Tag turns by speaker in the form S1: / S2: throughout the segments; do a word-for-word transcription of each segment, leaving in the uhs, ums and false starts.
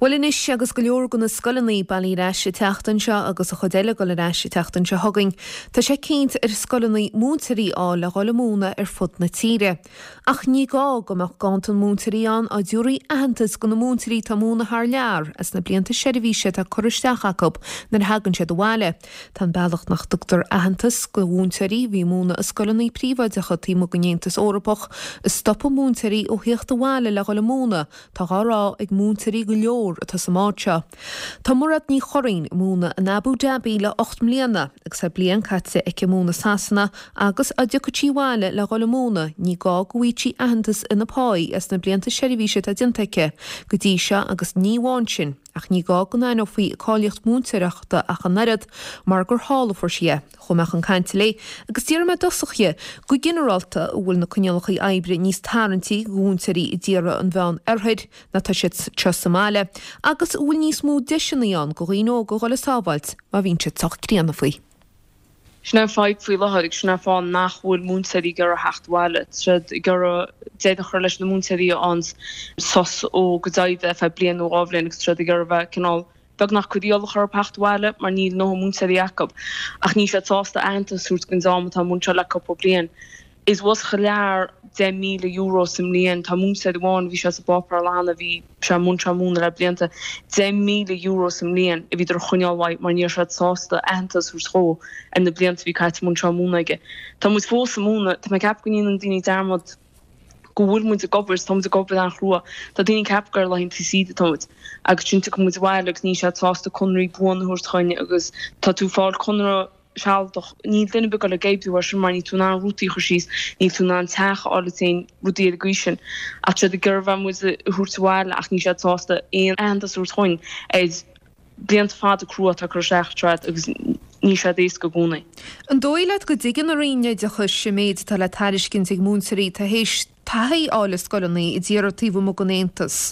S1: Bhuel anois agus go leor de na scoileanna bailithe ar ais an tseachtain seo agus an chuid eile ag dul ar ais an tseachtain seo chugainn, tá sé cinnte ar scoileanna múinteoirí a fháil le dhul ag múineadh ar fud na tíre. Ach ní gá go mbeadh ganntan múinteoirí ann dá dtabharfaí aitheantas do na múinteoirí atá ag múineadh thar lear as na blianta seirbhíse atá curtha isteach acu nuair a thagann siad abhaile. Tá an bealach nach dtugtar aitheantas do mhúinteoirí a bhí ag múineadh i scoileanna príobháideacha taobh amuigh den Aontas Eorpach ag stopadh múinteoirí ó theacht abhaile le dhul ag múineadh, tá á rá ag múinteoirí go leor atá sa mbád seo. Tá Mairéad Ní Churraoin ag múineadh in Abu Dhabi le ocht mbliana agus tá bliain caite aici ag múineadh i Sasana agus dá dtiocfadh sí abhaile le dhul ag múineadh ní gá go bhfaigheadh sí aitheantas ina pá as na blianta seirbhíse atá déanta aici go dtí seo agus ní amháin sin ach ní gá go n-aithneofaí a cáilíocht múinteoireachta ach an oiread mar gur thall a fuair sí é. Chuaigh mé chun cainte léi agus d'iarr mé i dtosach dhi go ginearálta an bhfuil na coinníollacha oibre níos tarraingtí do mhúinteoirí i dtíortha an Mheán Oirthir ná tá siad seo sa mbaile, agus an bhfuil níos mó deiseanna ann do dhaoine óga dhul ag sábháilt má bhíonn siad sách críonna faoi.
S2: Sin é an fadhb faoi láthair agus sin é an fáth nach bhfuil múinteoirí ag iarraidh theacht abhaile. Tá siad ag iarraidh deireadh a chur leis na múinteoirí a fhaigheann sos ó go deimhin ar feadh bliain nó dhá bhliain agus tá siad ag iarraidh bheith cineál beagnach cur iallach orthu theacht abhaile mar níl a ndóthain múinteoirí acu. Ach níl siad sásta aitheantas a thabhairt don dream atá ag múineadh le cúpla bliain. Is bhfuil thar lear deich míle euro sa mbliain. Tá múinteoir amháin, bhí sé sa bpáipéar cheana, bhí sé ag múineadh múineadh le blianta, deich míle euro sa mbliain a bhíodar a choinneáil uaidh mar ní raibh siad sásta aitheantas a thabhairt dhó ar na blianta a bhí caite ag múineadh múineadh aige. Tá muid fós ag múineadh, tá mé ag ceapadh go ndéanann daoine dearmad go bhfuil muid ag obair, tá muid ag obair an-chrua. Tá daoine ag ceapadh gur ar laethanta saoire atá muid agus ansin tiocfaidh muid abhaile agus níl siad sásta conraí buana a thabhairt chugainn agus tá tú ag fáil conradh sealadach. Níl duine ar bith ag dul ag oibriú air sin mar níl tú in ann rútaí a chur síos, níl tú in ann teach a fháil duit féin, rudaí ar an gcaoi sin. Ach tá siad ag iarraidh bheith muid a thabhairt abhaile ach níl siad sásta aon aitheantas a thabhairt chugainn ar blianta fada crua atá curtha isteach tríd agus níl siad éasca i gcónaí.
S1: An dóigh leat go dtuigeann an Roinn Oideachais an méid atá le tairiscint ag múinteoirí atá théis taithí a fháil i scoileanna i dtíortha taobh amuigh den Aontas?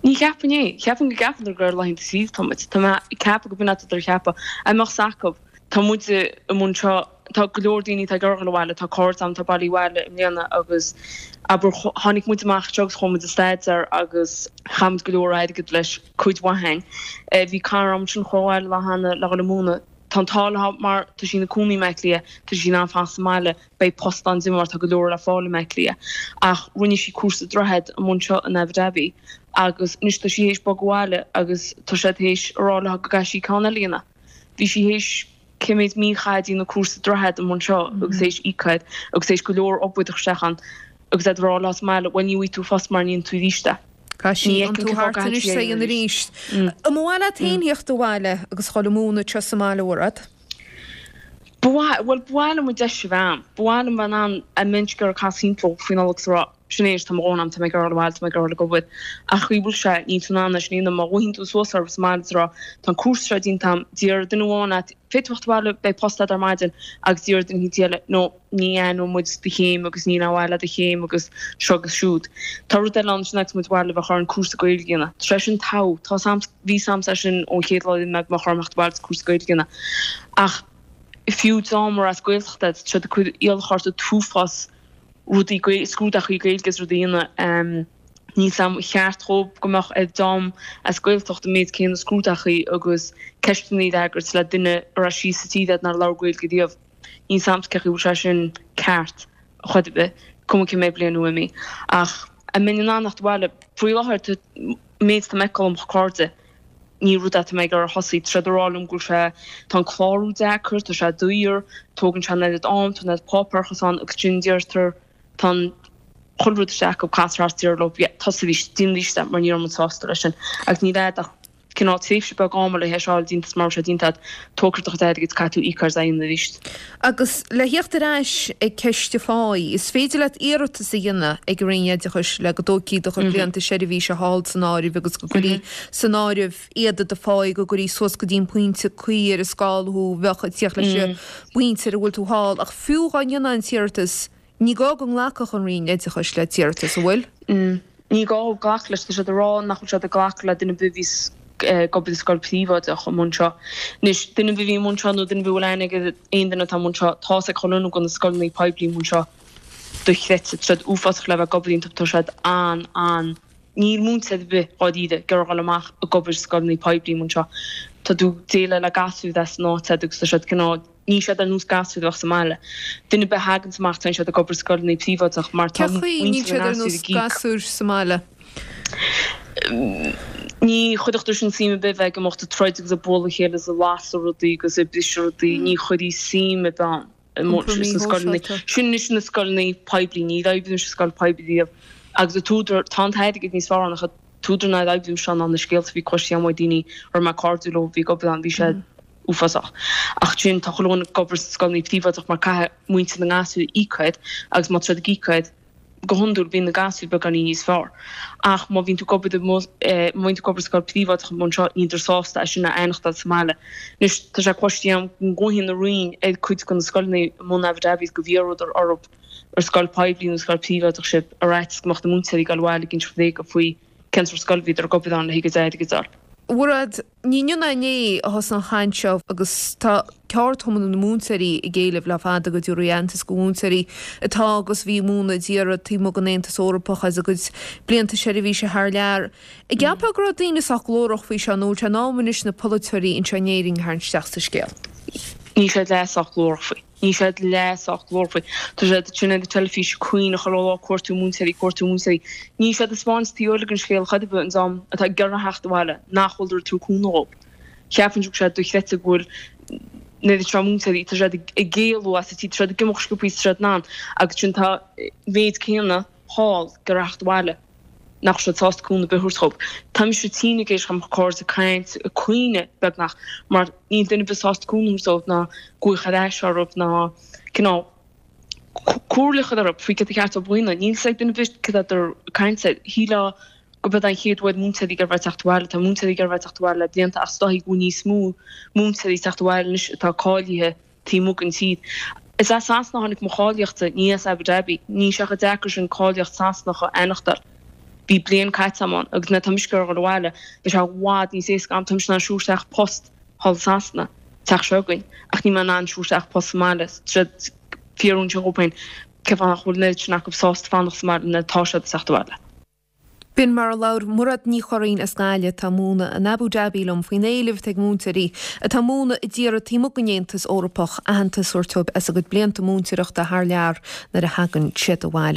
S2: Ní cheapaim é. Cheapfainn go gceapann gur ar laethanta saoire atá muid. Tá mé ag ceapadh go b'in atá á cheapadh. An mbeadh 's acu. Tá muid i mbun seo, tá go leor daoine atá ag iarraidh dul abhaile, tá cairde agam atá bailithe abhaile i mbliana agus abair tháinig muid amach anseo agus chuaigh muid ag staidéar agus chaith muid go leor airgid leis, cuid mhaith againn. Bhí cara agam ansin a chuaigh abhaile lá cheana le dhul ag múineadh. Tá an t-ádh léi mar tá sí ina cónaí i mBleá Cliath, tá sí in ann fanacht sa mbaile, beidh post ann di mar tá go leor le fáil i mBleá Cliath. Ach rinne sí cúrsa Droichead amuigh anseo in Abu Dhabi agus anois tá sí théis bogadh abhaile agus tá siad théis a rá léi go gcaithfidh sí ceann eile a dhéanamh. Bhí sí théis cé mhéad mí a chaitheamh ag déanamh cúrsa Droichead amuigh anseo agus théis íoc air agus théis go leor obair a chur isteach ann agus iad ag rá léi sa mbaile bhuel ní bhfaighidh tú post mara ndéanann tú arís é.
S1: Caithfidh sí iontú thart anois é a dhéanamh arís. An mba mhaith leat féin theacht abhaile agus dhul ag múineadh anseo sa mbaile, a Mhairéad?
S2: Ba mhaith, bhuel, ba mhaith liom an deis a bheith a'm. Ba mhaith liom bheith in ann a mbeinn ag iarraidh casadh timpeall faoi Nollaig is a rá, sin é anois, tá mo dhóthain a'm, tá mé ag iarraidh dul abhaile, tá mé ag iarraidh dul ag obair. Ach chaoi bhfuil sé, níl tú in ann é sin a dhéanamh. Má ghlaofaidh tú suas orthu sa mbaile is a rá, tá an cúrsa seo déanta a'm, déarfaidh duine amháin leat, féadfaidh tú theacht abhaile, beidh post a'd ar maidin, agus déarfaidh duine eicínt eile, no, ní aithneoidh muid do chéim agus níl aon mhaith le do chéim agus seo agus siúd. Tá rud eile ann sin agus muid abhaile bheadh orainn cúrsa Gaeilge a dhéanamh. Tá sé sin togha. Tá 's a'm, bhí 's a'msa é sin ón chéad lá a d'imigh mé go mbeadh orm theacht abhaile agus cúrsa Gaeilge a dhéanamh. Ach fiú dream ar as Gaeltacht iad, tá siad ag cur iallach ort an t-uafás rudaí Gaeilge, scrúdaitheachaí Gaeilge is rudaí a dhéanamh. Níl 's a'm an cheart dhóibh go mbeadh ar dream as Gaeltacht an méid céanna scrúdaitheachaí agus ceisteanna a fhreagairt le duine a raibh síos sa tír iad nár labhair Gaeilge riamh. Níl 's a'msa cén chaoi a bhfuil sé sin ceart a chor ar bith, cuma cé mhéad bliain uaim í. Ach an mbeinn in ann theacht abhaile? Faoi láthair, tá méid atá mé ag feiceáil ó mo chairde, ní rud é atá mé ag iarraidh a thosaí. Tá siad ag rá liom go bhfuil sé, tá an clárú deacair, tá sé daor, tógann sé an oiread am, tá an oiread páipéarachas ann agus sin deirtear, tá an chuile rud isteach acu, castar thart deir leo, yeah, tosaigh arís, déan arís é mar ní raibh muid sásta leis sin. Agus níl agat ach cineál tréimhse beag ama le hé seo a fháil déanta is mura bhfuil sé déanta agat, tógfar do chuid airgid, caithfidh tú íoc as é a dhéanamh arís.
S1: Agus le theacht ar ais ag ceist an pháí, is féidir leat iarratas a dhéanamh ag an Roinn Oideachais le go dtógfaí do chuid blianta seirbhíse thall san áireamh agus go gcuirí san áireamh iad i do pháí, go gcuirí suas go dtí an pointe cuí ar an scála thú a bheadh ag tíocht leis an bpointe ar a bhfuil tú thall. Ach fiú dhá ndéanfá an t-iarratas, Ní gá go nglacfadh an Roinn Oideachais le d'iarratas, an bhfuil?
S2: Ní gá glacadh leis. Tá siad ag rá nach bhfuil siad ag glacadh le duine ar bith a bhíos ag obair i scoil phríobháideach amuigh anseo. Anois, duine ar bith a bhí amuigh anseo nó duine ar bith a bhfuil aithne ag aon duine atá amuigh anseo, tá 's ag chuile dhuine go bhfuil na scoileanna poiblí amuigh anseo dochreidte. Tá siad uafásach le bheith ag obair iontu, tá siad an-an. Níl múinteoir ar bith dháiríre ag iarraidh dul amach ag obair i scoileanna poiblí mar seo. Tá tú ag déileáil le gasúir as an áit agus tá siad cineál, níl siad ar nós gasúir a bheadh sa mbaile. Duine ar bith a thaganns amach téann siad ag obair i scoileanna príobháideach mar tá
S1: Cén chaoi níl
S2: muintir
S1: siad
S2: na
S1: ar
S2: ngasúr
S1: nós
S2: ag íoc.
S1: gasúir sa mbaile?
S2: Ní chuirfeadh sin suim ar bith bheith ag imeacht ag troid agus ag bualadh a chéile is ag lasadh rudaí agus ag briseadh rudaí, ní chuirfidh suim ar bith ann.
S1: Iompar
S2: sna scoileanna.
S1: míshóisialta.
S2: Sin anois na scoileanna poiblí, níor oibrigh mise i scoil poiblí riamh agus an t-údar, tá an t-airgead níos fearr ann ach an t-údar nár oibrigh mise ann ná na scéalta a bhí cloiste agam ó daoine a raibh mé cairdiúil leo a bhí ag obair ann, bhí sé uafásach. Ach sin, tá chuile dhuine ag obair sna scoileanna príobháideach mar caithfidh muintir na ngasúr íoc air agus má tá siad ag íoc air, go hiondúil bíonn na gasúir beagáinín níos fearr. Ach má bhíonn tú ag obair i má bhíonn tú ag obair i scoil príobháideach mar seo níltear sásta é sin a fhanachtáil sa mbaile. Anois tá sé cloiste agam go nglaofaidh an Roinn ar cuid de na scoileanna i mbun Abu Dhabi go bhfiafródar orthu ar scoil poiblí nó scoil príobháideach sibh ar fhaitíos go mbeadh na múinteoirí ag dul abhaile ag inse rud éigin faoi cén sórt scoil a bhíodar ag obair ann le haghaidh a gcuid airgid a fháil.
S1: A Mhairéad, ní inniu ná inné a thosaigh an chaint seo agus tá ceardchumann na múinteoirí ag éileamh le fada go dtabharfaí aitheantas go mhúinteoirí atá agus a bhí ag múineadh i dtíortha taobh amuigh den Aontas Eorpach as a gcuid blianta seirbhíse thar lear. An gceapfá go raibh daoine sách glórach faoi seo nó bhfuil sé in am anois na polaiteoirí anseo in Éirinn a tharraingt isteach sa scéal?
S2: Níl siad leath sách glórach faoi. Níl siad leath sách glórach faoi. Tá siad sin ar an teilifís ag caoineadh chuile lá cuartú múinteoirí, cuartú múinteoirí. Níl siad ag spáint taobh eile den scéal chor ar bith an dream atá ag iarraidh theacht abhaile nach bhfuil ag tabhairt cúnamh dhóibh. Cheapfainn go bhfuil siad dochreidte go bhfuil an oiread seo múinteoirí, tá siad ag éalú as an tír, tá siad ag imeacht sciobthaí is tá siad in ann agus sin tá méid céanna thall ag iarraidh theacht abhaile. nach bhfuil siad sásta cúnamh ar bith a thabhairt dhóibh. Tá mise tinn ag éisteacht le mo chairde ag caint, ag caoineadh beagnach, mar níl duine ar bith sásta cúnamh a thabhairt dóibh ná glaoch ar ais orthu ná cineál comhairle a chur orthu faoi cad ba cheart dóibh a dhéanamh. Níl fhios ag duine ar bith cad atá ag caint air. Shílfeá go b'é an chéad uair múinteoirí ag iarraidh teacht abhaile, tá múinteoirí ag iarraidh teacht abhaile le blianta ach is dóichí go bhfuil níos mó múinteoirí ag teacht abhaile anois atá cáilithe taobh amuigh den tír. Is as Sasana a tháinig mo cháilíochtsa, ní as Abu Dhabi. Níl sé chomh deacair sin cáilíocht Sasanach a aithneachtáil. Bhí bliain caite agam ann agus nuair atá mise ag iarraidh dul abhaile, beidh sé i bhfad níos éasca agam. Tá mise in ann siúl isteach post thall i Sasana, teach seo againn, ach níl mé in ann siúl isteach post sa mbaile. Tá siad fiafraí ansin dhóibh féin cén fáth nach bhfuil an oiread sin acu sásta fanacht sa mbaile nuair atá siad ag teacht abhaile.
S1: B'in mar a labhair Mairéad Ní Churraoin as Gaillimh atá ag múineadh in Abu Dhabi liom faoin éileamh atá ag múinteoirí atá ag múineadh i dtíortha taobh amuigh den Aontas Eorpach aitheantas a thabhairt dóibh as a gcuid blianta múinteoireachta thar lear nuair a thagann siad abhaile.